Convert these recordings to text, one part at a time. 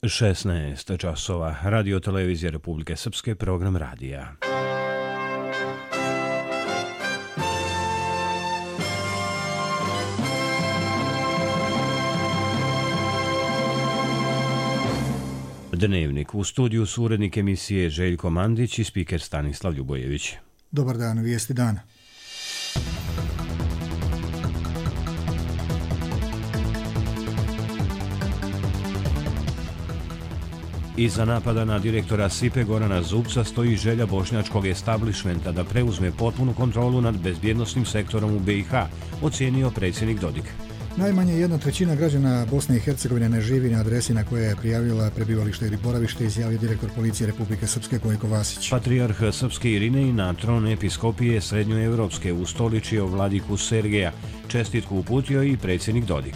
16 časova. Radio televizije Republike Srpske, program radija. Dnevnik. U studiju su urednik emisije Željko Mandić i spiker Stanislav Ljubojević. Dobar dan, vijesti dana. Iza napada na direktora SIPE Gorana Zubca stoji želja bošnjačkog establishmenta da preuzme potpunu kontrolu nad bezbjednosnim sektorom u BiH, ocijenio predsjednik Dodik. Najmanje 1/3 građana Bosne i Hercegovine ne živi na adresi na koje je prijavila prebivalište ili boravište, izjavio direktor policije Republike Srpske Gojko Vasić. Patrijarh Srpske Irinej na tron episkopije Srednjoevropske ustoličio vladiku Sergeja. Čestitku uputio i predsjednik Dodik.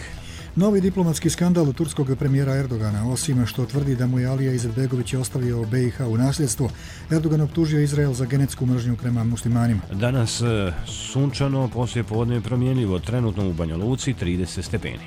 Novi diplomatski skandal turskog premijera Erdogana. Osim što tvrdi da mu je Alija Izetbegović ostavio BiH u nasljedstvo, Erdogan optužio Izrael za genetsku mržnju prema muslimanima. Danas sunčano, poslije podne promjenljivo, trenutno u Banja Luci 30 stepeni.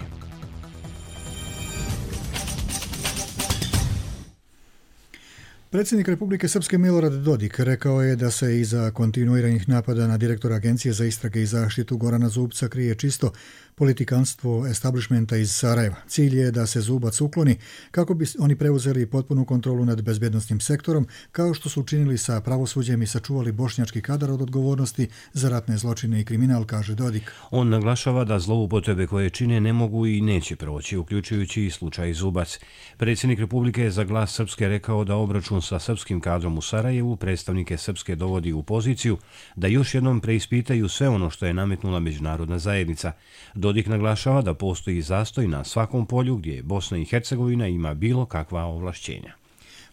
Predsjednik Republike Srpske Milorad Dodik rekao je da se iza kontinuiranih napada na direktora Agencije za istrage i zaštitu Gorana Zubca krije čisto politikanstvo establishmenta iz Sarajeva. Cilj je da se Zubac ukloni kako bi oni preuzeli potpunu kontrolu nad bezbjednosnim sektorom, kao što su učinili sa pravosuđem i sačuvali bošnjački kadar od odgovornosti za ratne zločine i kriminal, kaže Dodik. On naglašava da zloupotrebe koje čine ne mogu i neće proći, uključujući i slučaj Zubac. Predsjednik Republike je za Glas Srpske rekao da obračun sa srpskim kadrom u Sarajevu predstavnike Srpske dovodi u poziciju da još jednom preispitaju sve ono što je nametnula međunarodna zajednica. Dodik naglašava da postoji zastoj na svakom polju gdje Bosna i Hercegovina ima bilo kakva ovlašćenja.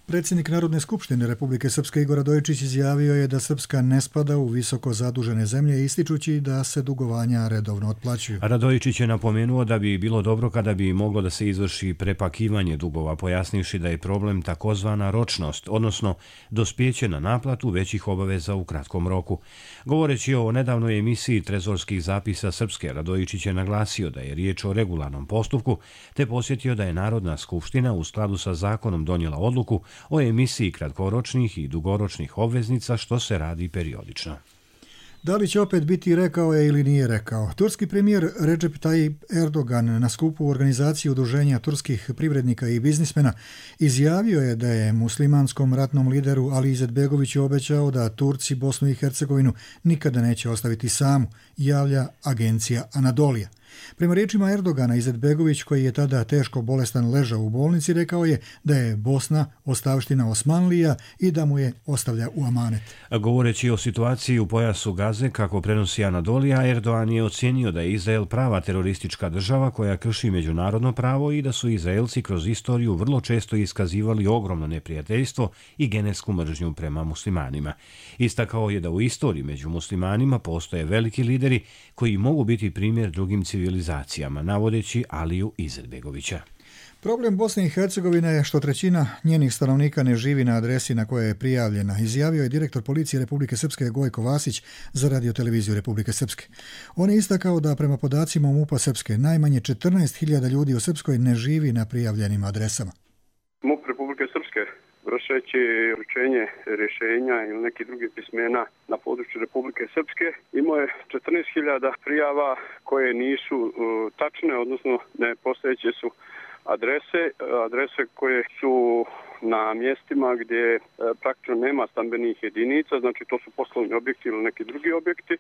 Predsjednik Narodne skupštine Republike Srpske Igor Radojičić izjavio je da Srpska ne spada u visoko zadužene zemlje, ističući da se dugovanja redovno otplaćuju. Radojičić je napomenuo da bi bilo dobro kada bi moglo da se izvrši prepakivanje dugova, pojasnivši da je problem takozvana ročnost, odnosno dospjeće na naplatu većih obaveza u kratkom roku. Govoreći o nedavnoj emisiji trezorskih zapisa Srpske, Radojičić je naglasio da je riječ o regularnom postupku, te posjetio da je Narodna skupština u skladu sa zakonom donijela odluku o emisiji kratkoročnih i dugoročnih obveznica, što se radi periodično. Da li će opet biti rekao je ili nije rekao? Turski premijer Recep Tayyip Erdogan na skupu organizacije udruženja turskih privrednika i biznismena izjavio je da je muslimanskom ratnom lideru Ali Izetbegoviću obećao da Turci Bosnu i Hercegovinu nikada neće ostaviti samu, javlja agencija Anadolija. Prema riječima Erdogana, Izetbegović, koji je tada teško bolestan ležao u bolnici, rekao je da je Bosna ostavština Osmanlija i da mu je ostavlja u amanet. Govoreći o situaciji u pojasu Gaze, kako prenosi Anadolija, Erdogan je ocijenio da je Izrael prava teroristička država koja krši međunarodno pravo i da su Izraelci kroz istoriju vrlo često iskazivali ogromno neprijateljstvo i genetsku mržnju prema muslimanima. Istakao je da u istoriji među muslimanima postoje veliki lideri koji mogu biti primjer drugim civilizacijama, navodeći Aliju Izetbegovića. Problem Bosne i Hercegovine je što 1/3 njenih stanovnika ne živi na adresi na kojoj je prijavljena, izjavio je direktor policije Republike Srpske Gojko Vasić za Radio televiziju Republike Srpske. On je istakao da prema podacima MUP-a Srpske najmanje 14.000 ljudi u Srpskoj ne živi na prijavljenim adresama. MUP Republike Srpske, vršeći uručenje rješenja ili nekih drugih pismena na području Republike Srpske, imao je 14.000 prijava koje nisu tačne, odnosno nepostojeće su adrese koje su na mjestima gdje praktično nema stambenih jedinica, znači to su poslovni objekti ili neki drugi objekti.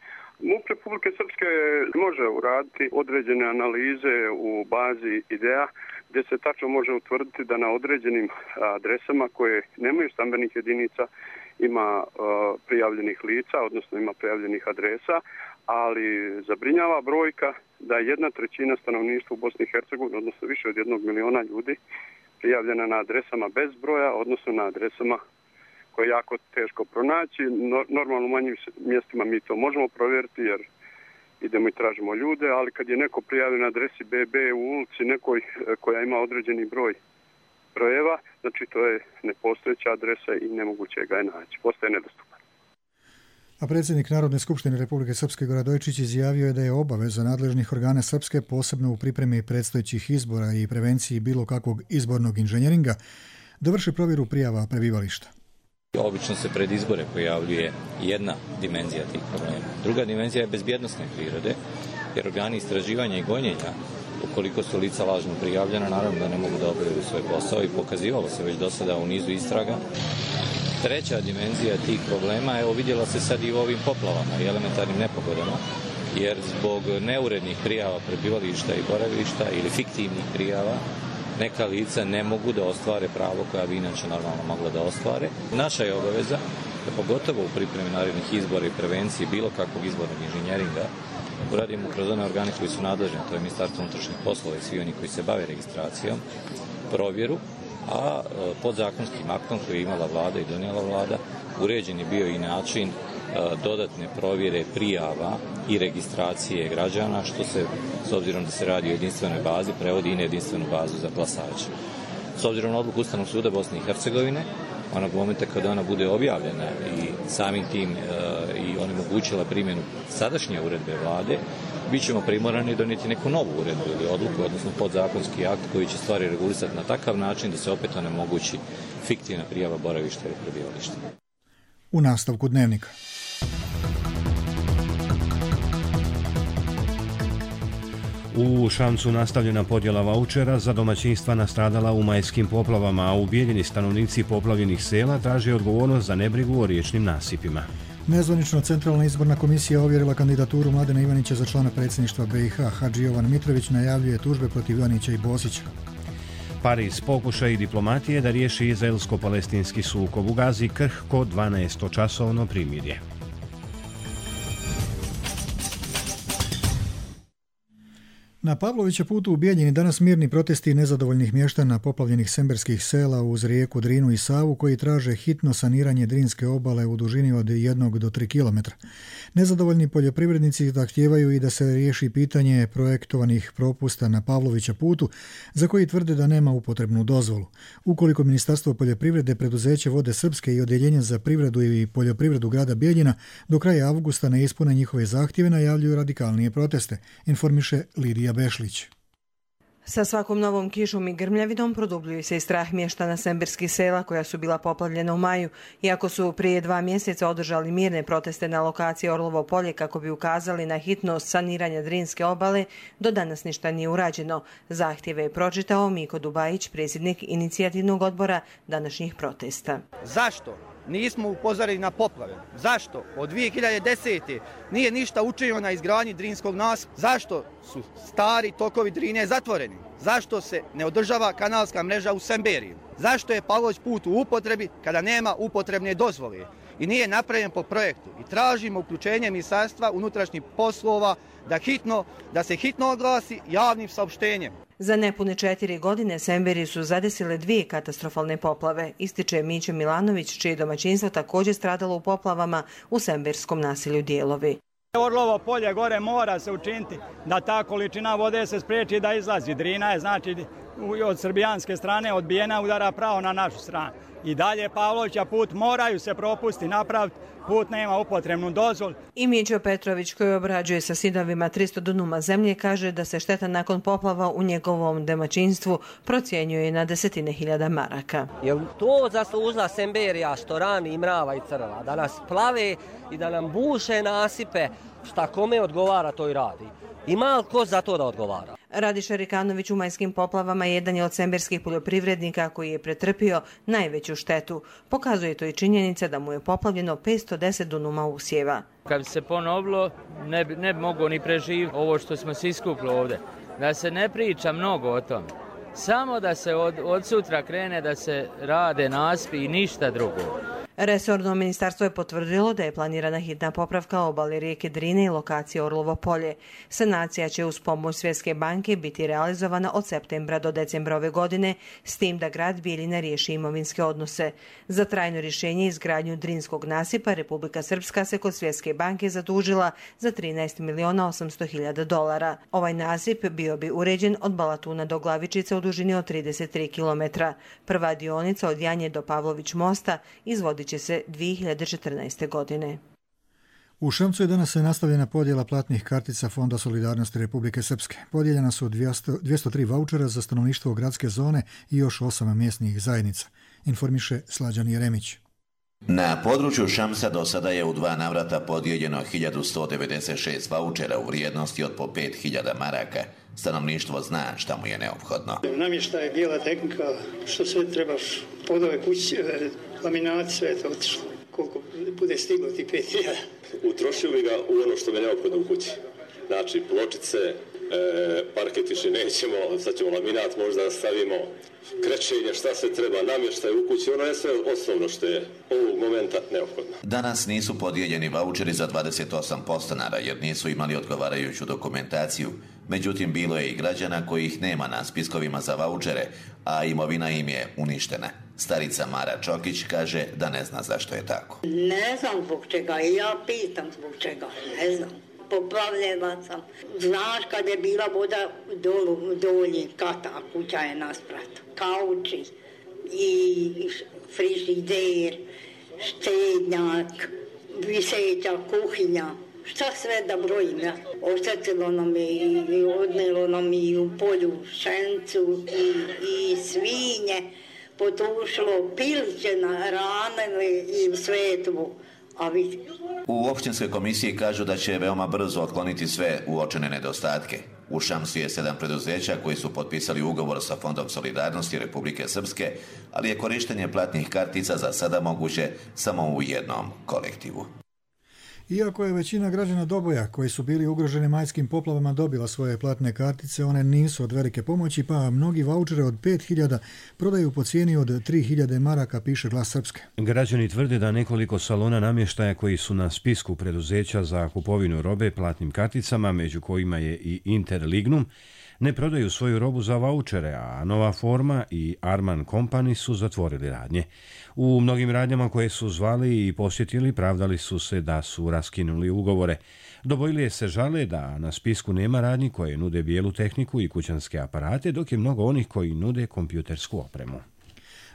MUP Republike Srpske može uraditi određene analize u bazi IDEA gdje se tačno može utvrditi da na određenim adresama koje nemaju stambenih jedinica ima prijavljenih lica, odnosno ima prijavljenih adresa, ali zabrinjava brojka da 1/3 stanovništva u Bosni i Hercegovini, odnosno više od 1 miliona ljudi, prijavljena na adresama bez broja, odnosno na adresama koje je jako teško pronaći. Normalno u manjim mjestima mi to možemo provjeriti jer idemo i tražimo ljude, ali kad je neko prijavljen na adresi BB u ulici nekoj koja ima određeni broj brojeva, znači to je nepostojeća adresa i nemoguće ga je naći. Postaje nedostupan. A predsjednik Narodne skupštine Republike Srpske Goradojčić izjavio je da je obaveza nadležnih organa Srpske, posebno u pripremi predstojećih izbora i prevenciji bilo kakvog izbornog inženjeringa, da vrše provjeru prijava prebivališta. Obično se pred izbore pojavljuje jedna dimenzija tih problema. Druga dimenzija je bezbjednosne prirode, jer organi istraživanja i gonjenja, ukoliko su lica lažno prijavljena, naravno da ne mogu da obavljaju svoj posao i pokazivalo se već do sada u nizu istraga. Treća dimenzija tih problema, vidjela se sad i u ovim poplavama i elementarnim nepogodama, jer zbog neurednih prijava prebivališta i boravišta ili fiktivnih prijava, neka lica ne mogu da ostvare pravo koja bi inače normalno mogla da ostvare. Naša je obaveza da pogotovo u pripremi narednih izbora i prevenciji bilo kakvog izbornog inženjeringa uradimo kroz one organe koji su nadležni, to je Ministarstvo unutrašnjih poslova i svi oni koji se bave registracijom, provjeru, a podzakonskim aktom koji je imala vlada i donijela vlada uređen je bio i način dodatne provjere prijava i registracije građana, što se, s obzirom da se radi o jedinstvenoj bazi, prevodi i na jedinstvenu bazu za glasače. S obzirom na odluku Ustavnog suda Bosne i Hercegovine, onog momenta kada ona bude objavljena i samim tim i onemogućila primjenu sadašnje uredbe vlade, bit ćemo primorani donijeti neku novu uredbu ili odluku, odnosno podzakonski akt koji će stvari regulisati na takav način da se opet onemogući fiktivna prijava boravišta ili prebivališta. U nastavku Dnevnika. U Šamcu nastavljena podjela vaučera za domaćinstva nastradala u majskim poplavama, a ubijeljeni stanovnici poplavljenih sela traže odgovornost za nebrigu o riječnim nasipima. Nezvanično Centralna izborna komisija ovjerila kandidaturu Mladena Ivanića za člana predsjedništva BiH. Hadži Jovan Mitrović najavljuje tužbe protiv Ivanića i Bosića. Pariz pokušaj diplomatije da riješi izraelsko-palestinski sukob u Gazi krhko 12-časovno primirje. Na Pavlovića putu u Bijeljini danas mirni protesti nezadovoljnih mještana poplavljenih semberskih sela uz rijeku Drinu i Savu koji traže hitno saniranje Drinske obale u dužini od 1 do 3 km. Nezadovoljni poljoprivrednici zahtijevaju i da se riješi pitanje projektovanih propusta na Pavlovića putu za koji tvrde da nema upotrebnu dozvolu. Ukoliko Ministarstvo poljoprivrede, preduzeće Vode Srpske i Odjeljenje za privredu i poljoprivredu grada Bijeljina do kraja avgusta ne ispune njihove zahtjeve, najavljuju radikalnije proteste, informiše Lidija Bešlić. Sa svakom novom kišom i grmljavinom produbljuje se i strah mještana semberskih sela koja su bila poplavljena u maju. Iako su prije 2 mjeseca održali mirne proteste na lokaciji Orlovo polje kako bi ukazali na hitnost saniranja Drinske obale, do danas ništa nije urađeno. Zahtjeve je pročitao Miko Dubajić, predsjednik inicijativnog odbora današnjih protesta. Zašto nismo upozorili na poplave? Zašto od 2010. nije ništa učinjeno na izgradnji Drinskog nasipa? Zašto su stari tokovi Drine zatvoreni? Zašto se ne održava kanalska mreža u Semberiju? Zašto je Pavlović put u upotrebi kada nema upotrebne dozvole i nije napravljen po projektu? I tražimo uključenje Ministarstva unutrašnjih poslova da se hitno oglasi javnim saopštenjem. Za nepune 4 godine Semberiju su zadesile 2 katastrofalne poplave, ističe Mićo Milanović, čije domaćinstvo također stradalo u poplavama u semberskom naselju Dijelovi. Orlovo polje gore mora se učiniti da ta količina vode se spriječi da izlazi. Drina je znači od srbijanske strane odbijena, udara pravo na našu stranu. I dalje Pavlovića put moraju se propusti napraviti, put nema upotrebnu dozvolu. I Mićo Petrović, koji obrađuje sa sidovima 300 dunuma zemlje, kaže da se šteta nakon poplava u njegovom domaćinstvu procjenjuje na 10.000 maraka. Je to zaslužila Semberija što rani i mrava i crva, da nas plave i da nam buše nasipe, šta kome odgovara to i radi. Ima li ko za to da odgovara? Radiša Rikanović u majskim poplavama jedan je od semberskih poljoprivrednika koji je pretrpio najveću štetu. Pokazuje to i činjenica da mu je poplavljeno 510 dunuma usjeva. Kad bi se ponovilo, ne bi mogao ni preživjeti ovo što smo se iskupili ovdje. Da se ne priča mnogo o tome. Samo da se od sutra krene da se rade nasipi i ništa drugo. Resorno ministarstvo je potvrdilo da je planirana hitna popravka obale rijeke Drine i lokacije Orlovo polje. Sanacija će uz pomoć Svjetske banke biti realizovana od septembra do decembra ove godine, s tim da grad Bijeljina riješi imovinske odnose. Za trajno rješenje i izgradnju Drinskog nasipa Republika Srpska se kod Svjetske banke zadužila za $13.800.000. Ovaj nasip bio bi uređen od Balatuna do Glavičice u dužini od 33 km. Prva dionica od Janje do Pavlović mosta izvodit će se 2014. godine. U Šamcu je danas nastavljena podjela platnih kartica Fonda solidarnosti Republike Srpske. Podijeljena su 203 vaučera za stanovništvo gradske zone i još 8 mjesnih zajednica, informiše Slađan Jeremić. Na području Šamsa do sada je u 2 navrata podijeljeno 1196 vaučera u vrijednosti od po 5000 maraka. Stanovništvo zna šta mu je neophodno. Namještaj, bijela tehnika, što sve trebaš, podove kući, laminati, sve je to otišlo. Koliko bude stiglo ti 5000. Utrošili ga u ono što je neophodno u kući. Znači pločice, parket više nećemo, sad ćemo laminat možda stavimo, krečenje, šta se treba, namještaj u kući, ono je sve osnovno što je ovog momenta neophodno. Danas nisu podijeljeni vaučeri za 28 podstanara jer nisu imali odgovarajuću dokumentaciju. Međutim, bilo je i građana kojih nema na spiskovima za vaučere, a imovina im je uništena. Starica Mara Čokić kaže da ne zna zašto je tako. Ne znam zbog čega i ja pitam zbog čega, ne znam. Poplavljena sam. Znaš kad je bila voda dolji kata, kuća je nasprat. Kauči i frižider, štednjak, viseća kuhinja. Šta sve da brojim, ja? Oštetilo nam je i odnelo nam i u polju šencu i svinje, potušilo pilće na ranili i svetvu. U općinskoj komisiji kažu da će veoma brzo otkloniti sve uočene nedostatke. U Šamsu je 7 preduzeća koji su potpisali ugovor sa Fondom solidarnosti Republike Srpske, ali je korištenje platnih kartica za sada moguće samo u jednom kolektivu. Iako je većina građana Doboja koji su bili ugroženi majskim poplavama dobila svoje platne kartice, one nisu od velike pomoći, pa mnogi vaučere od 5000 prodaju po cijeni od 3000 maraka, piše Glas Srpske. Građani tvrde da nekoliko salona namještaja koji su na spisku preduzeća za kupovinu robe platnim karticama, među kojima je i Interlignum, ne prodaju svoju robu za vaučere, a Nova Forma i Arman Company su zatvorili radnje. U mnogim radnjama koje su zvali i posjetili pravdali su se da su raskinuli ugovore. Dobojlije se žale da na spisku nema radnji koje nude bijelu tehniku i kućanske aparate, dok je mnogo onih koji nude kompjutersku opremu.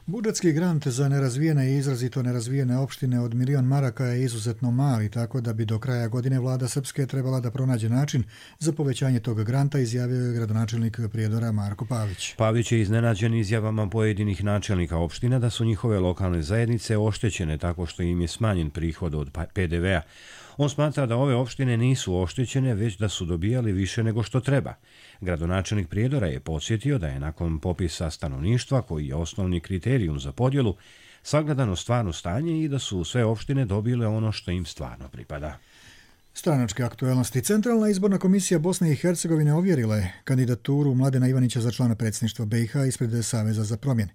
Budžetski grant za nerazvijene i izrazito nerazvijene opštine od 1.000.000 maraka je izuzetno mali, tako da bi do kraja godine vlada Srpske trebala da pronađe način za povećanje tog granta, izjavio je gradonačelnik Prijedora Marko Pavić. Pavić je iznenađen izjavama pojedinih načelnika opština da su njihove lokalne zajednice oštećene tako što im je smanjen prihod od PDV-a. On smatra da ove opštine nisu oštećene, već da su dobijali više nego što treba. Gradonačelnik Prijedora je podsjetio da je nakon popisa stanovništva, koji je osnovni kriterijum za podjelu, sagledano stvarno stanje i da su sve opštine dobile ono što im stvarno pripada. Stranačke aktuelnosti. Centralna izborna komisija Bosne i Hercegovine ovjerila je kandidaturu Mladena Ivanića za člana predsjedništva BiH ispred Saveza za promjene.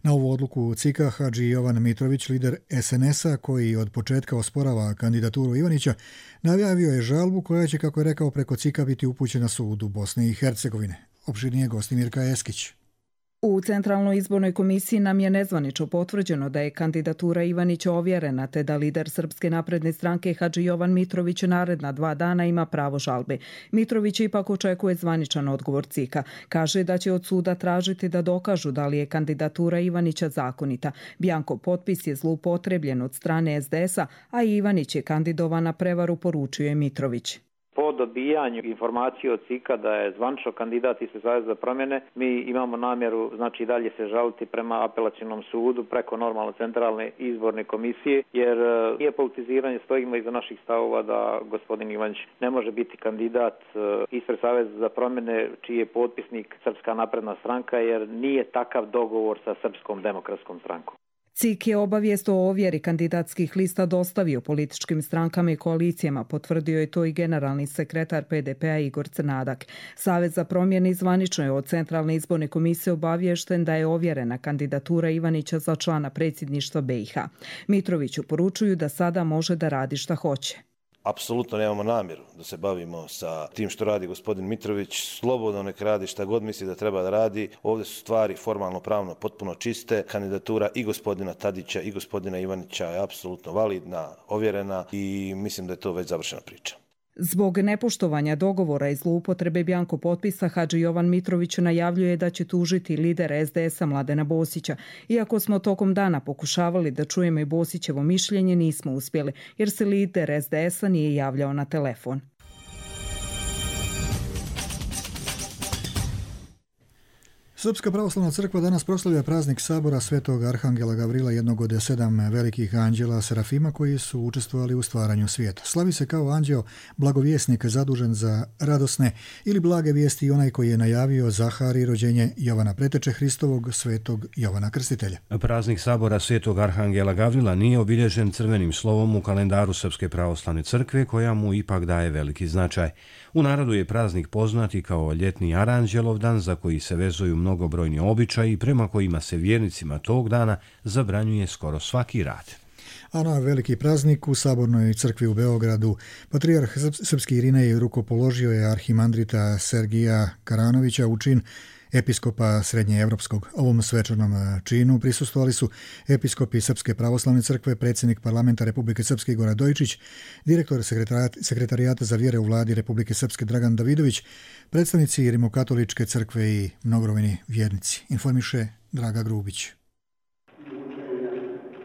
Na ovu odluku CIK-a Hadži Jovan Mitrović, lider SNS-a koji od početka osporava kandidaturu Ivanića, najavio je žalbu koja će, kako je rekao, preko CIK-a biti upućena sudu Bosne i Hercegovine. Opširnije gosti Mirka Eskić. U Centralnoj izbornoj komisiji nam je nezvanično potvrđeno da je kandidatura Ivanića ovjerena, te da lider Srpske napredne stranke Hadži Jovan Mitrović naredna 2 dana ima pravo žalbe. Mitrović ipak očekuje zvaničan odgovor CIK-a. Kaže da će od suda tražiti da dokažu da li je kandidatura Ivanića zakonita. Bjanko potpis je zloupotrebljen od strane SDS-a, a Ivanić je kandidovan na prevaru, poručuje Mitrović. Po dobijanju informacije od CIK-a da je zvanično kandidat ispred Saveza za promjene, mi imamo namjeru, znači dalje se žaliti prema apelacionom sudu preko normalno centralne izborne komisije, jer nije politiziranje, stojimo iza naših stavova da gospodin Ivanić ne može biti kandidat ispred Saveza za promjene čiji je potpisnik Srpska napredna stranka, jer nije takav dogovor sa Srpskom demokratskom strankom. CIK je obavijest o ovjeri kandidatskih lista dostavio političkim strankama i koalicijama, potvrdio je to i generalni sekretar PDP-a Igor Crnadak. Savez za promjene zvanično je od Centralne izborne komisije obaviješten da je ovjerena kandidatura Ivanića za člana predsjedništva BiH. Mitroviću poručuju da sada može da radi šta hoće. Apsolutno nemamo namjeru da se bavimo sa tim što radi gospodin Mitrović. Slobodno nek radi šta god misli da treba da radi. Ovdje su stvari formalno pravno potpuno čiste. Kandidatura i gospodina Tadića i gospodina Ivanića je apsolutno validna, ovjerena i mislim da je to već završena priča. Zbog nepoštovanja dogovora i zloupotrebe bjanko potpisa, Hadži Jovan Mitrović najavljuje da će tužiti lidera SDS-a Mladena Bosića. Iako smo tokom dana pokušavali da čujemo i Bosićevo mišljenje, nismo uspjeli, jer se lider SDS-a nije javljao na telefon. Srpska pravoslavna crkva danas proslavlja praznik sabora Svetog Arhangela Gavrila, jednog od 7 velikih anđela Serafima koji su učestvovali u stvaranju svijeta. Slavi se kao anđeo blagovjesnik zadužen za radosne ili blage vijesti i onaj koji je najavio Zahari rođenje Jovana Preteče Hristovog, Svetog Jovana Krstitelja. Praznik sabora Svetog Arhangela Gavrila nije obilježen crvenim slovom u kalendaru Srpske pravoslavne crkve, koja mu ipak daje veliki značaj. U narodu je praznik poznat i kao ljetni Aranđelov dan, za koji se vezuju mnogobrojni običaji prema kojima se vjernicima tog dana zabranjuje skoro svaki rad. A na veliki praznik u Sabornoj crkvi u Beogradu patrijarh srpski Irinej rukopoložio je arhimandrita Sergija Karanovića u čin episkopa Srednjeevropskog. Ovom svečanom činu prisustvovali su episkopi Srpske pravoslavne crkve, predsjednik parlamenta Republike Srpske Igor Dojčić, direktor sekretarijata za vjere u vladi Republike Srpske Dragan Davidović, predstavnici Rimokatoličke crkve i mnogobrojni vjernici. Informiše Draga Grubić.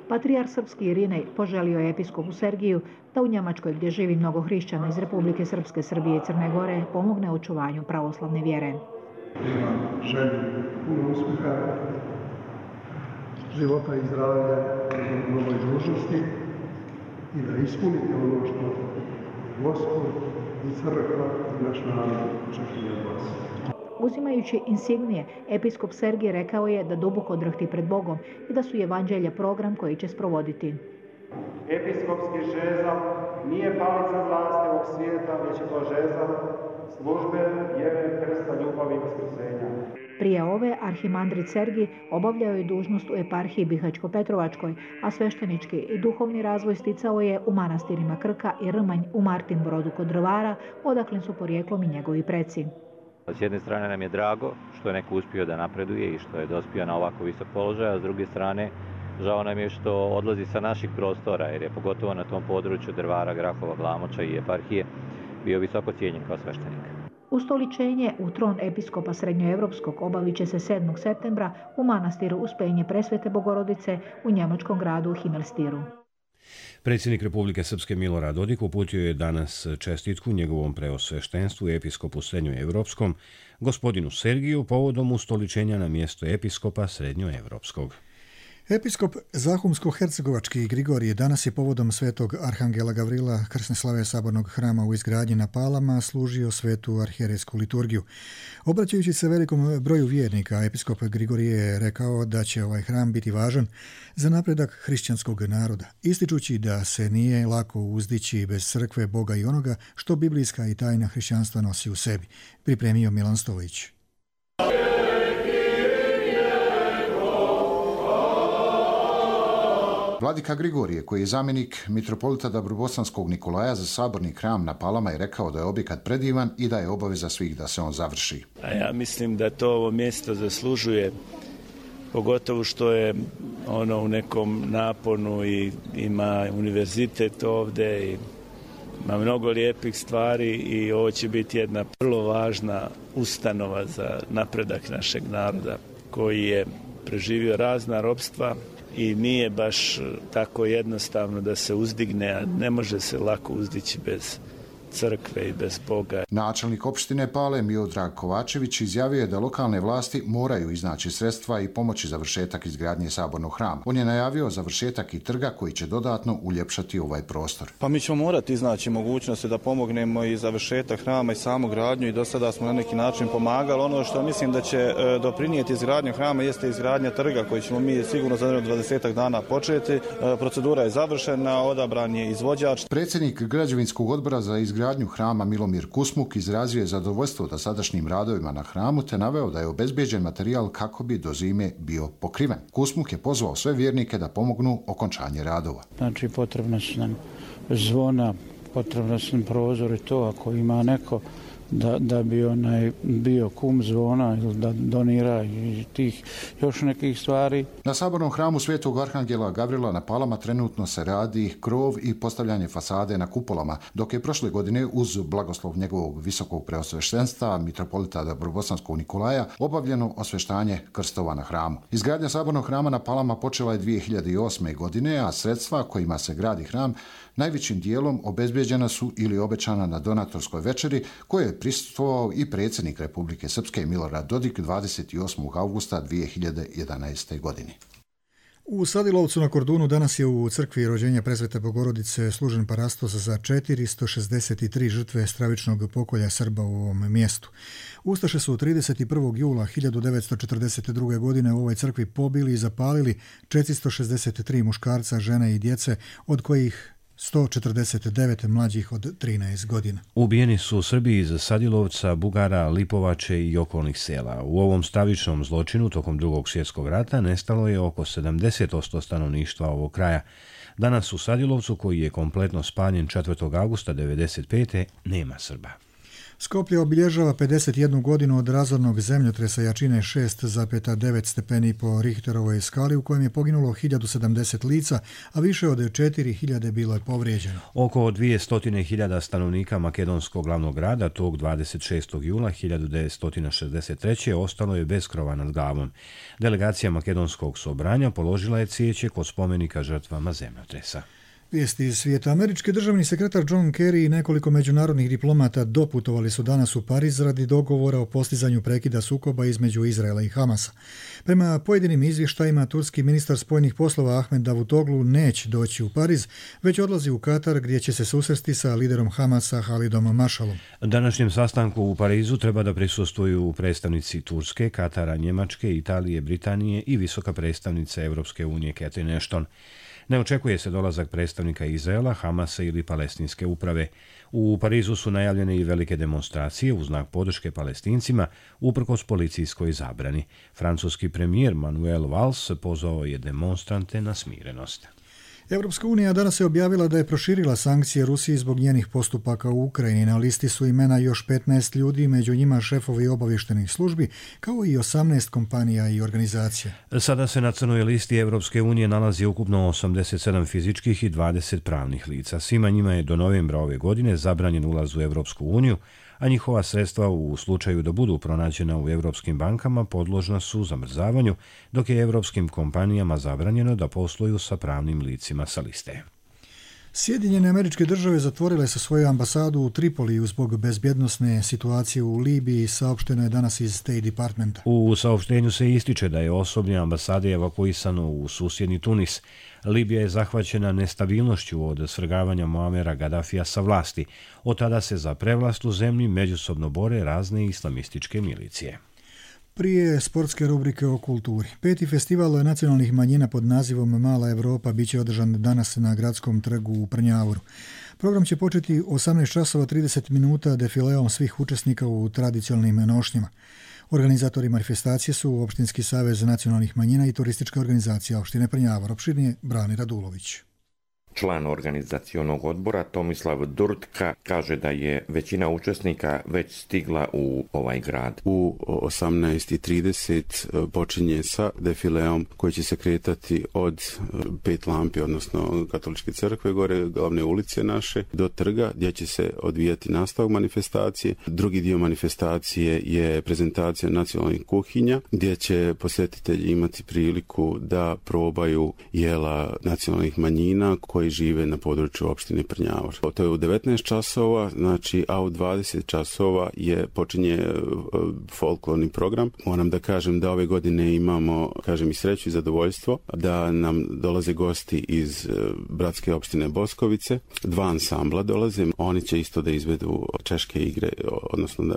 Patrijarh srpski Irinej poželio je episkopu Sergiju da u Njemačkoj, gdje živi mnogo hrišćana iz Republike Srpske, Srbije i Crne Gore, pomogne očuvanju pravoslavne vjere. Imam želju puno uspjeha, života i zdravlja u novoj dužnosti i da ispunite ono što Gospod i crkva i naš narod očekuju od vas. Uzimajući insignije, episkop Sergij rekao je da duboko drhti pred Bogom i da su evanđelja program koji će sprovoditi. Episkopski žezal nije palica vlasti ovog svijeta, već je to žezal službe, vjere, krsta, ljubavi i vaskrsenja. Prije ove, arhimandrit Sergij obavljao je dužnost u eparhiji Bihaćko-Petrovačkoj, a sveštenički i duhovni razvoj sticao je u manastirima Krka i Rmanj u Martinbrodu kod Drvara, odakle su porijeklom i njegovi preci. S jedne strane nam je drago što je neko uspio da napreduje i što je dospio na ovako visok položaj, a s druge strane žao nam je što odlazi sa naših prostora, jer je pogotovo na tom području Drvara, Grahova, Glamoča i eparhije bio visoko cijenjen kao sveštenik. Ustoličenje u tron episkopa Srednjoevropskog obavit će se 7. septembra u manastiru Uspenje Presvete Bogorodice u njemačkom gradu Himmelstiru. Predsjednik Republike Srpske Milorad Dodik uputio je danas čestitku njegovom preosveštenstvu episkopu Srednjoevropskom, gospodinu Sergiju, povodom ustoličenja na mjesto episkopa Srednjoevropskog. Episkop Zahumsko-hercegovački Grigorije danas je povodom Svetog Arhangela Gavrila krsne slave Sabornog hrama u izgradnji na Palama služio svetu arhijerejsku liturgiju. Obraćajući se velikom broju vjernika, episkop Grigorije je rekao da će ovaj hram biti važan za napredak hrišćanskog naroda, ističući da se nije lako uzdići bez crkve, Boga i onoga što biblijska i tajna hrišćanstva nosi u sebi, pripremio Milan Stojić. Vladika Grigorije, koji je zamjenik mitropolita Dabrobosanskog Nikolaja za Saborni hram na Palama, je rekao da je objekat predivan i da je obaveza svih da se on završi. A ja mislim da to ovo mjesto zaslužuje, pogotovo što je ono u nekom naponu i ima univerzitet ovdje i ima mnogo lijepih stvari i ovo će biti jedna vrlo važna ustanova za napredak našeg naroda koji je preživio razna ropstva i nije baš tako jednostavno da se uzdigne, a ne može se lako uzdići bez crkve i bez Boga. Načelnik opštine Pale Miodrag Kovačević izjavio je da lokalne vlasti moraju iznaći sredstva i pomoći završetak izgradnje Sabornog hrama. On je najavio završetak i trga koji će dodatno uljepšati ovaj prostor. Pa mi ćemo morati iznaći mogućnosti da pomognemo i završetak hrama i samu gradnju i do sada smo na neki način pomagali. Ono što mislim da će doprinijeti izgradnju hrama jeste izgradnja trga koji ćemo mi sigurno za 20 dana početi. Procedura je završena, odabran je izvođač. Predsjednik građevinskog odbora za izgradnju hrama Milomir Kusmuk izrazio je zadovoljstvo dosadašnjim radovima na hramu te naveo da je obezbeđen materijal kako bi do zime bio pokriven. Kusmuk je pozvao sve vjernike da pomognu okončanje radova. Znači potrebno su nam zvona, potrebno su nam prozori, to ako ima neko da bi bio kum zvona ili da donira i tih još nekih stvari. Na sabornom hramu Svetog Arhangela Gavrila na Palama trenutno se radi krov i postavljanje fasade na kupolama, dok je prošle godine uz blagoslov njegovog visokog preosveštenstva mitropolita Dobrobosanskog Nikolaja obavljeno osveštanje krstova na hramu. Izgradnja sabornog hrama na Palama počela je 2008. godine, a sredstva kojima se gradi hram najvećim dijelom obezbeđena su ili obećana na donatorskoj večeri koje je prisustvovao i predsjednik Republike Srpske Milorad Dodik 28. augusta 2011. godine. U Sadilovcu na Kordunu danas je u crkvi rođenja Presvete Bogorodice služen parastos za 463 žrtve stravičnog pokolja Srba u ovom mjestu. Ustaše su 31. jula 1942. godine u ovoj crkvi pobili i zapalili 463 muškarca, žene i djece, od kojih 149 mlađih od 13 godina. Ubijeni su Srbi iz Sadilovca, Bugara, Lipovače i okolnih sela. U ovom stravičnom zločinu tokom Drugog svjetskog rata nestalo je oko 70% stanovništva ovog kraja. Danas u Sadilovcu, koji je kompletno spaljen 4. augusta 1995. nema Srba. Skoplje obilježava 51 godinu od razornog zemljotresa jačine 6,9 stepeni po Richterovoj skali u kojem je poginulo 1070 lica, a više od 4000 bilo je povrijeđeno. Oko 200.000 stanovnika makedonskog glavnog grada tog 26. jula 1963. ostalo je bez krova nad glavom. Delegacija makedonskog sobranja položila je cvijeće kod spomenika žrtvama zemljotresa. Vijesti iz svijeta. Američki državni sekretar John Kerry i nekoliko međunarodnih diplomata doputovali su danas u Pariz radi dogovora o postizanju prekida sukoba između Izraela i Hamasa. Prema pojedinim izvještajima, turski ministar spoljnih poslova Ahmed Davutoglu neće doći u Pariz, već odlazi u Katar gdje će se susresti sa liderom Hamasa Halidom Mašalom. Današnjem sastanku u Parizu treba da prisustvuju predstavnici Turske, Katara, Njemačke, Italije, Britanije i visoka predstavnica Europske unije Catherine Ashton. Ne očekuje se dolazak predstavnika Izraela, Hamasa ili palestinske uprave. U Parizu su najavljene i velike demonstracije u znak podrške Palestincima uprkos policijskoj zabrani. Francuski premijer Manuel Valls pozvao je demonstrante na smirenost. Europska unija danas je objavila da je proširila sankcije Rusiji zbog njenih postupaka u Ukrajini. Na listi su imena još 15 ljudi, među njima šefovi obavještajnih službi, kao i 18 kompanija i organizacija. Sada se na crnoj listi Europske unije nalazi ukupno 87 fizičkih i 20 pravnih lica. Svima njima je do novembra ove godine zabranjen ulaz u Europsku uniju, a njihova sredstva u slučaju da budu pronađena u europskim bankama podložna su zamrzavanju, dok je europskim kompanijama zabranjeno da posluju sa pravnim licima sa liste. Sjedinjene Američke Države zatvorile su svoju ambasadu u Tripoliju zbog bezbjednosne situacije u Libiji, saopšteno je danas iz State Departmenta. U saopštenju se ističe da je osoblje ambasade evakuisano u susjedni Tunis. Libija je zahvaćena nestabilnošću od svrgavanja Muamera Gaddafija sa vlasti. Od tada se za prevlast u zemlji međusobno bore razne islamističke milicije. Prije sportske rubrike o kulturi. 5. festival nacionalnih manjina pod nazivom Mala Evropa biće održan danas na Gradskom trgu u Prnjavoru. Program će početi 18:30 minuta defileom svih učesnika u tradicionalnim nošnjama. Organizatori manifestacije su Opštinski savez nacionalnih manjina i turistička organizacija opštine Prnjavor. Opširnije Brani Radulović. Član organizacionog odbora Tomislav Durtka kaže da je većina učesnika već stigla u ovaj grad. U 18:30 počinje sa defileom koji će se kretati od 5 lampi, odnosno Katoličke crkve gore, glavne ulice naše, do trga gdje će se odvijati nastavak manifestacije. Drugi dio manifestacije je prezentacija nacionalnih kuhinja gdje će posjetitelji imati priliku da probaju jela nacionalnih manjina koji žive na području opštine Prnjavor. To je u 19 časova, znači, a u 20 časova počinje folklorni program. Moram da kažem da ove godine imamo, i sreću i zadovoljstvo da nam dolaze gosti iz bratske opštine Boskovice. 2 ansambla dolaze. Oni će isto da izvedu češke igre, odnosno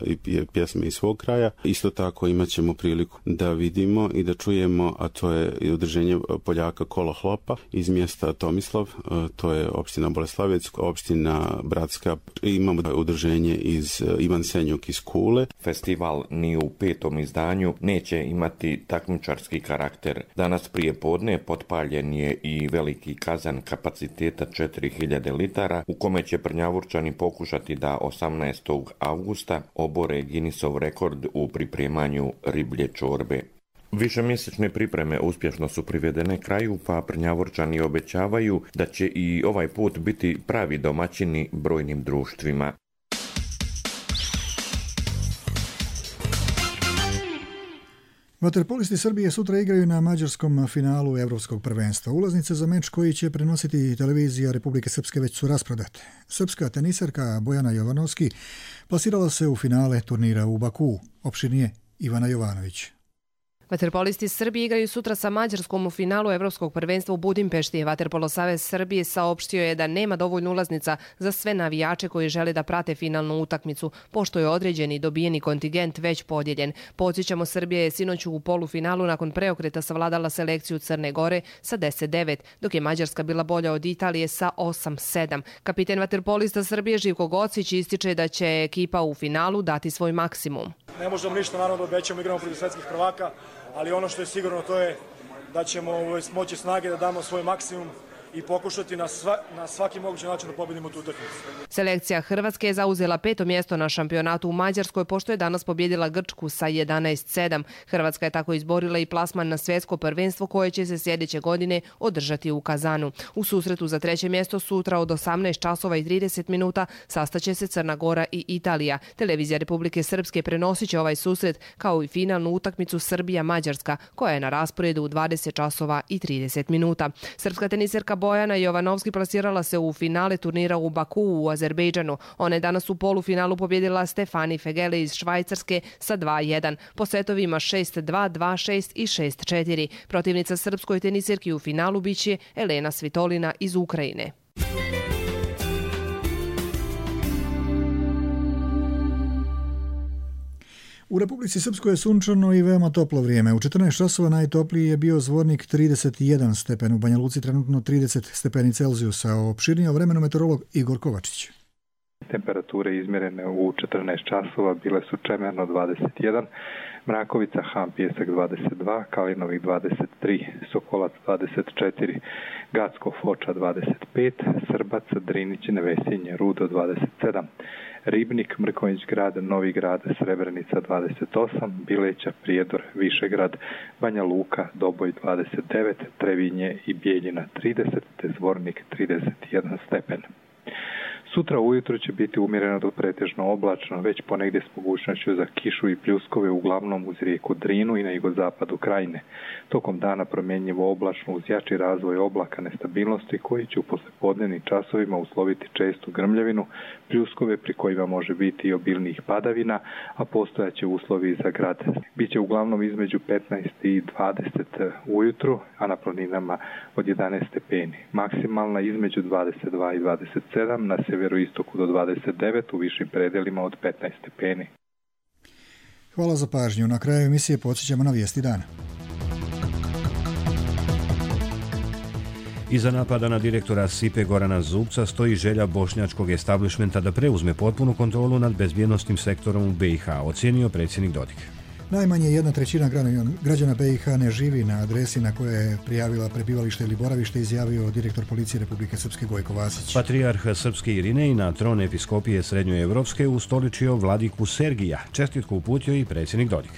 pjesme iz svog kraja. Isto tako imat ćemo priliku da vidimo i da čujemo, a to je udruženje Poljaka Kolo Hlopa iz mjesta Tomislav, to je opština Boleslavec, opština Bratska, imamo udruženje iz Ivan Senjuk iz Kule. Festival ni u 5. izdanju neće imati takmičarski karakter. Danas prije podne potpaljen je i veliki kazan kapaciteta 4000 litara u kome će Prnjavurčani pokušati da 18. avgusta obore Guinnessov rekord u pripremanju riblje čorbe. Višemjesečne pripreme uspješno su privedene kraju, pa Prnjavurčani obećavaju da će i ovaj put biti pravi domaćini brojnim društvima. Vaterpolisti Srbije sutra igraju na mađarskom finalu Evropskog prvenstva. Ulaznice za meč koji će prenositi televizija Republike Srpske već su rasprodate. Srpska teniserka Bojana Jovanovski plasirala se u finale turnira u Bakuu. Opširnije Ivana Jovanović. Vaterpolisti Srbije igraju sutra sa Mađarskom u finalu Evropskog prvenstva u Budimpešti. Vaterpolo savez Srbije saopštio je da nema dovoljno ulaznica za sve navijače koji žele da prate finalnu utakmicu, pošto je određeni dobijeni kontingent već podijeljen. Podsjećamo, Srbija je sinoć u polufinalu nakon preokreta savladala selekciju Crne Gore sa 10-9, dok je Mađarska bila bolja od Italije sa 8-7. Kapiten vaterpolista Srbije Živko Gocić ističe da će ekipa u finalu dati svoj maksimum. Ne možemo ništa, naravno, da obećamo, igramo protiv svetskih prvaka, ali ono što je sigurno to je da ćemo moći snage da damo svoj maksimum i pokušati na svaki mogući način da pobedimo tu utakmicu. Selekcija Hrvatske je zauzela 5. mjesto na šampionatu u Mađarskoj, pošto je danas pobjedila Grčku sa 11-7. Hrvatska je tako izborila i plasman na svjetsko prvenstvo koje će se sljedeće godine održati u Kazanu. U susretu za 3. mjesto sutra od 18:30 sastaće se Crna Gora i Italija. Televizija Republike Srpske prenosit će ovaj susret kao i finalnu utakmicu Srbija-Mađarska, koja je na rasporedu u 20:30. Srpska teniserka Bojana Jovanovski plasirala se u finale turnira u Bakuu u Azerbejdžanu. Ona je danas u polufinalu pobjedila Stefani Fegele iz Švajcarske sa 2-1. Po setovima 6-2, 2-6 i 6-4. Protivnica srpskoj teniserki u finalu biće Elena Svitolina iz Ukrajine. U Republici Srpskoj je sunčano i veoma toplo vrijeme. U 14 časova najtopliji je bio Zvornik 31 stepen, u Banja Luci trenutno 30 stepeni Celzijusa. Opširnije o vremenu meteorolog Igor Kovačić. Temperature izmjerene u 14 časova bile su Čemerno 21, Mrakovica, Han, Pjesak 22, Kalinovih 23, Sokolac 24, Gacko, Foča 25, Srbac, Drinić, Nevesinje, Rudo 27, Ribnik, Mrkonjić grad, Novi grad, Srebrenica 28, Bileća, Prijedor, Višegrad, Banja Luka, Doboj 29, Trevinje i Bijeljina 30, te Zvornik 31 stepen. Sutra ujutro će biti umjereno do pretežno oblačno, već ponegdje s mogućnošću za kišu i pljuskove, uglavnom uz rijeku Drinu i na jugozapadu Krajine. Tokom dana promjenjivo oblačno uz jači razvoj oblaka nestabilnosti koji će u poslijepodnevnim časovima usloviti čestu grmljavinu, pljuskove pri kojima može biti i obilnijih padavina, a postojaće uslovi za grad. Biće uglavnom između 15 i 20 ujutru, a na planinama od 11 stepeni. Maksimalna između 22 i 27, na sjeveroistoku do 29, u višim predelima od 15 stepeni. Hvala za pažnju. Na kraju emisije podsjećamo na vijesti dana. Iza napada na direktora SIPE Gorana Zubca stoji želja bošnjačkog establishmenta da preuzme potpunu kontrolu nad bezbjednostnim sektorom u BiH, ocijenio predsjednik Dodik. Najmanje 1/3 građana BiH ne živi na adresi na kojoj je prijavila prebivalište ili boravište, izjavio direktor policije Republike Srpske Gojko Vasić. Patrijarh Srpske Irinej na tron episkopije Srednjoevropske ustoličio vladiku Sergija. Čestitku uputio i predsjednik Dodik.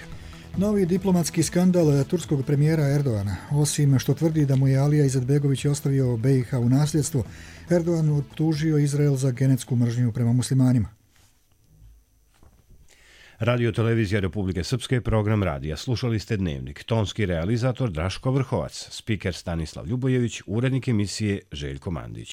Novi diplomatski skandal turskog premijera Erdogana. Osim što tvrdi da mu je Alija Izetbegović ostavio BiH u nasljedstvo, Erdogan optužio Izrael za genetsku mržnju prema muslimanima. Radio televizija Republike Srpske, program radija. Slušali ste Dnevnik. Tonski realizator Draško Vrhovac, spiker Stanislav Ljubojević, urednik emisije Željko Mandić.